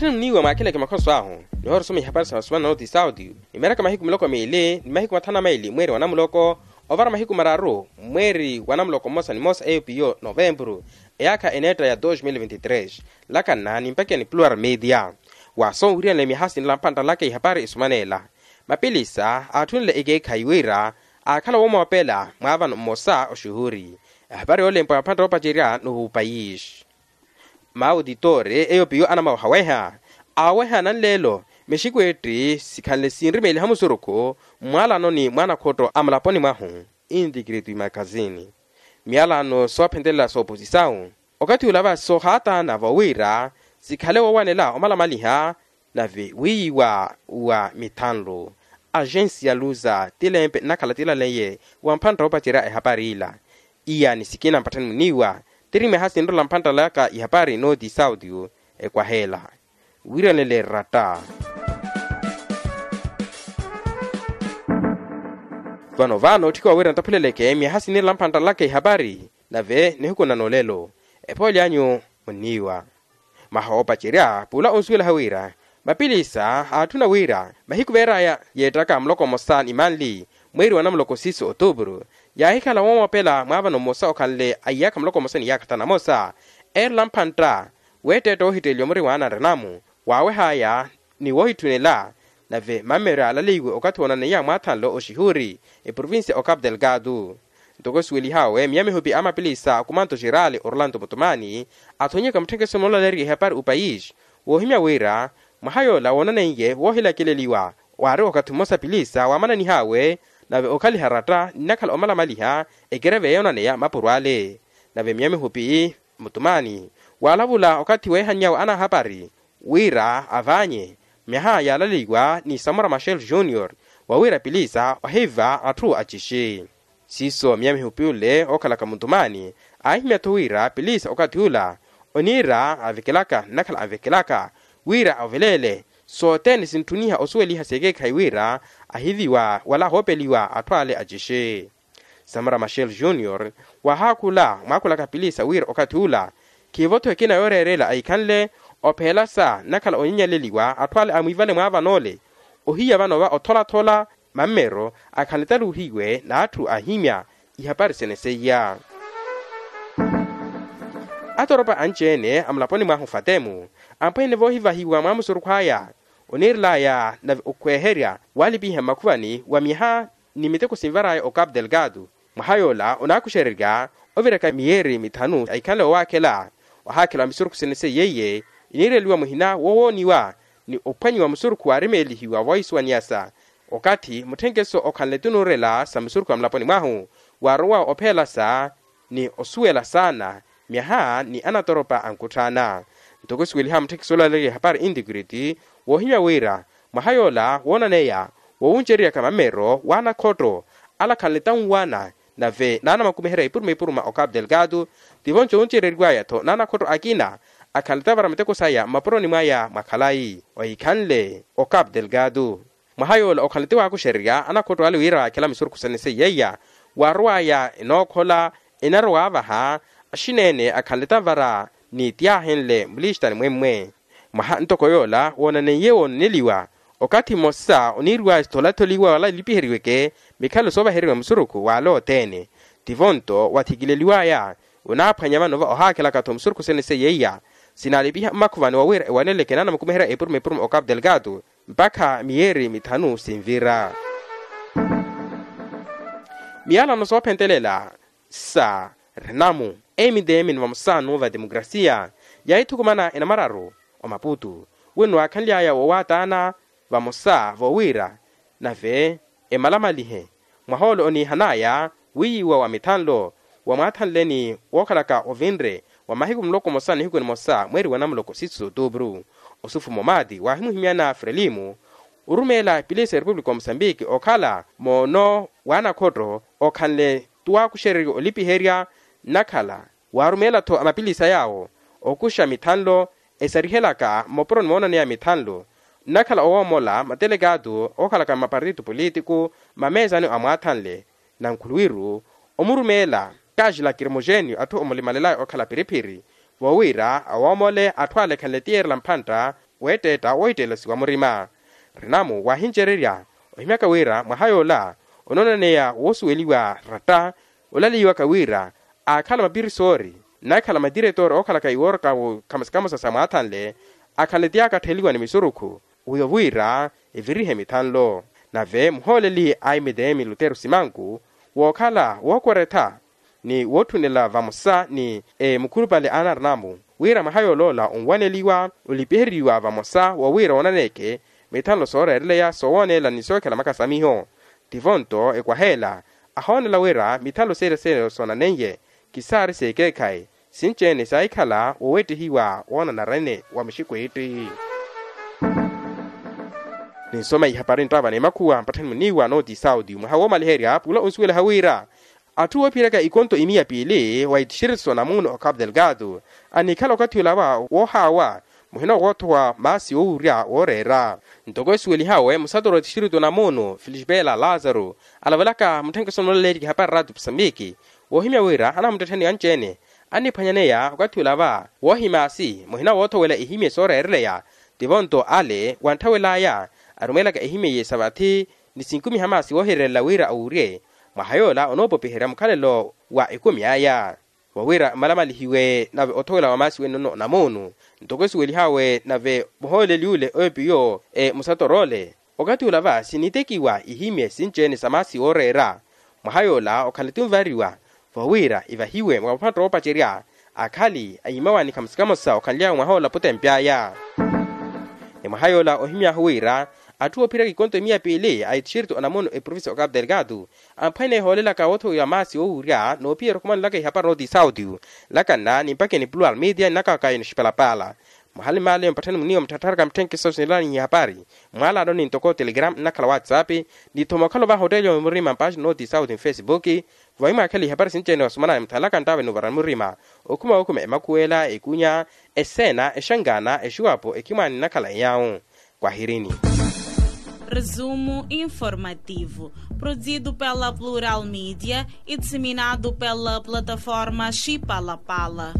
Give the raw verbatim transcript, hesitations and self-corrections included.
Tthenimniwa mwaakhileke makhoso ahu, nihoorosoma ihapari sa vasumana noti sauti, nimeeraka mahiku miloko miili ni mahiku mathanu na maili mweeri wa namuloko, ovara mahiku mararu mweeri wa namuloko mmosa ni mmosa eyo piyo novempuru, eyaakha eneetta ya dos mil vinti tres. Lakanna nimpakeni plural media. Waaso wiriyanle myaha sinla mpantta laka ihapari isumaneela, mapilisa aathunle ekeekhayi wira aakhala woomoopela mwaavano mmosa oxuhuri. Ehapari yoolempa mpantta oopacerya n'uhu payisi. Maawutitore eyo piyo anamawehaweha, aaweha nanleelo mixikwetti sikhanle sinrimeeliha musurukhu mmwaalanoni mwa anakhotto a mulaponi mwahu. Intikiriti makazini miyalano soophentelela sooposisawu okathi ula vasi soohaataana voowira sikhale woowanela omalamaliha. Nave wiiyiwa wa mithanlu agensia luza tilempe nnakhala tilaleiye wa mphantta oopacerya ehapari ila. Iya ni sikina mpatthani muniiwa tiri myaha sinrola mphantta laka ihapari noti sauti ekwaheela. Wiiranele ratta. Vano vano otthika wawira ntaphuleleke myaha sinirela mphantta laka ihapari nave nihuku na nolelo. Ephooli anyu muniiwa. Maha oopacerya pula onsuwelaha wira mapilisa aatthuna wira mahiku veeraya yeettaka muloko mmosa ni manli mweeri wa namuloko siisi otuupuru, yaahikhala woomoopela mwaavano mmosa okhanle a iyaakha muloko mmosa ni iyaakha thanu na mosa. Eerela mphantta weetteetta woohitteeliwa muri mwaana nrenamu waawehaya ni woohitthunela. Nave mammero yaalaleiwe okathi woonaneiya mwaathanlo oxihuri eprovincia o capu delgado. Ntoko esuwelihawe miya mihupi a mapilisa a kumanto xeraali orlanto mutumani athonyeka mutthenkeso moolaleeriwa ehapari opayisi woohimya wira mwaha yoola woonaneiye woohilakeleliwa waari okathi mmosa pilisa waamananihaawe nave okhaliha ratta nnakhala omalamaliha ekereve yoonaneya mapuro ale. Nave miya mihupi mutumani waalavula okathi weehanny'awe anahapari wira avaanye myaha yaalaleiwa ni samora machel junior wawira pilisa ohiva atthu acixi. Siiso miya mihupi ole ookhalaka mutumani aahimya-tho wira pilisa okathi ula oniira avekelaka nnakhala avekelaka wira oveleele sothene sintthuniha osuweliha sekeekhayi wira ahiviwa wala ahoopeliwa atthu ale acixi. Samora machel junior waahaakhula mwaakhulaka pilisa wira okathi ula khiivo-tho ekina yooreerela ahikhanle opheelasa nnakhala onyenyeleliwa atthu ale amwiivale mwaavano ole ohiya vano va otholathola mammero akhanle taluuhiwe n'atthu aahimya ihapari sene seiya. Atoropa anci-ene a mulaponi mwahu fatemu ampweene voohivahiwa mwa musurukhu aya oniirelaya nave okhweeherya waalipiha mmakhuvani wa myaha ni miteko sinvaraya o capu delgado. Mwaha yoola onaakuxererya oviraka miyeeri mithanu ahikhanle wowaakhela ohaakhela wa misurukhu sene seiyeiye iniireliwa muhina wowooniwa ni ophwanyiwa musurukhu waarimeelihiwa voohisuwaniyasa okathi mutthenkeso okhanle tunuurela sa misurukhu a mulaponi mwahu waarowa opheelasa ni osuwela saana myaha ni anatoropa ankutthaana. Ntoko esuweliha mutthenkeso olaleeriwa ehapari intikiriti woohimya wira mwaha yoola woonaneya wowunceriyaka mammero w'anakhotto alakhanle tanwana nave naanamakumiherya ipuruma ipuruma o capu delgado. Tivo nci owuncereriwaya-tho n'anakhotto akina akhanle tavara miteko saya mmapuroni mwaya mwa khalayi ohikhanle o capu delgado. Mwaha yoola okhanle tiwaakuxererya anakhotto ale wira waakhela misurukhu sene seiyeiya waarowaya enookhola enaro waavaha axineene akhanle tavara ni tiyaahenle mulixitani mwemmwe. Mwaha ntoko yoola woonaneiye woonaneliwa okathi mmosa oniiriwaya sitholatholiwa wala elipiheriweke mikhalo soovaheriwa musurukhu waale othene. Tivo-nto wathikileliwaya onaaphwanya vano va ohaakhelaka-tho musurukhu sene seiyeiya sinaalipiha mmakhuvani wawira ewaneleke naana mukumiherya epuruma epuruma o capu delgado mpakha miyeeri mithanu sinvira. Miyalano soophentelela sa renamu mdm ni vamosa n'uva demokrasia yaahithukumana enamararu omaputu wenno waakhanly'aya wowaataana vamosa voowira nave emalamalihe mwaha ole oniihan'aya wiiyiwa wa mithanlo wa mwaathanle ni wookhalaka ovinre wa mahiku muloko mmosa nihiku nimosa mweeri wa namuloko siisi s'otuupuru. Osufu momaati waahimuhimyana frelimu orumeela epilisi ya repupulika wa musambiki okhala moono w'anakhotto okhanle tuwaakuxererya olipiherya nnakhala waarumeela-tho amapilisa yaawo okuxa mithanlo esarihelaka mmopuroni moonaneya mithanlo nnakhala owoomola matelekaatu ookhalaka mmapartito politiku mmameesani a mwaathanle nankhuluwiru omurumeela kaxi lakirimoxenio atthu omulimalelaya okhala phiriphiri voowira awoomole atthu ale ekhanle tiyeerela mphantta Weettetta wohittelasiwa murima. Rinamu wahincererya ohimyaka wira mwaha yoola onoonaneya woosuweliwa ratta olaleiwaka wira aakhala mapirisoori nakhala matiretore ookhalaka iwooraka khamosa khamosa sa mwaathanle akhala ti yaakattheliwa ni misurukhu wiyo wira evirihe mithanlo. Nave muhooleli a mtm lutero simanku wookhala wookweretha ni wootthunela vamosa ni mukhulupale a narinamu wira mwaha yooloola onwaneliwa olipiheriwa vamosa wa wira oonaneke mithanlo sooreereleya soowooneela ni sookhela makasamiho. Tivo nto ekwaheela ahoonela wira mithanlo seela seela soonaneiye kisaari seekeekhayi sinci-ene saahikhala woowettehiwa woonanarene wa muxikwiitti. Ninsoma ihapari nttaava n'emakhuwa mpatthani muniiwa nooti sauti mwaha woomaliherya pula onsuwelaha wira atthu woophiraka ikonto imiya piili wa itixirito namuno okapu delgado anikhala okathi olawa woohaawa muhina woothowa maasi oowurya wooreera. Ntoko esuwelihawe musatoro wa itixirito namuno filixipela lazaro alavelaka mutthenkeso noolaleerya ihapari raati pusamiki woohimya wira anamuttettheni anci-ene anniphwanyaneya okathi olawa woohimaasi muhina woothowela ihimye sooreereleya. Tivo nto ale wantthawel'aya arumeelaka ehimye sa vathi ni sinkumiha maasi woohireerela wira awurye mwaha yoola onoopopiherya mukhalelo wa ekumi aya wawira mmalamalihiwe nave othowela wa maasi wennono namuunu ntoko esuwelihawe nave muhooleli ule oyo piyo musatoroole. Okathi ula va sinitekiwa ihimye sinci-ene sa maasi wooreera mwaha yoola okhala ti onvariwa vawira evahiwe mwa maphatto oopacerya akhali ayimawaani khamosa khamosa okhanly'awe mwaha ola putempy'aya. Ni mwaha yoola ohimy'ahu wira atthu oophiraka ikonto imiya piili a itixirito onamuno eprovincia okapu delgado amphwene ehoolelaka woothowiwa maasi woowurya noophiyerya okhumanulaka ihapari nooti sauti lakanna ni mpakha enipuluwa almidia ninakaka inoxipalapala. Mwaha nimaleyo mpatthani muniiwa mutthattharaka mutthenkeso sinilanihi ihapari mwaalano ni ntoko telegram nnakhala whatsapp ni thoma okhala ovaha otteeliwa murima mpaxi nooti sauti mfesibuki vawi mwaakhela ihapari sinci-ene wasumanaya muthanlaka nttaava enuvarani murima okhuma wookhuma emakhuwela ekunya eseena exangaana exuwapo ekhimwaani nnakhala eyawu. Kwahirini. Resumo informativo produzido pela plural media e disseminado pela plataforma xipalapala.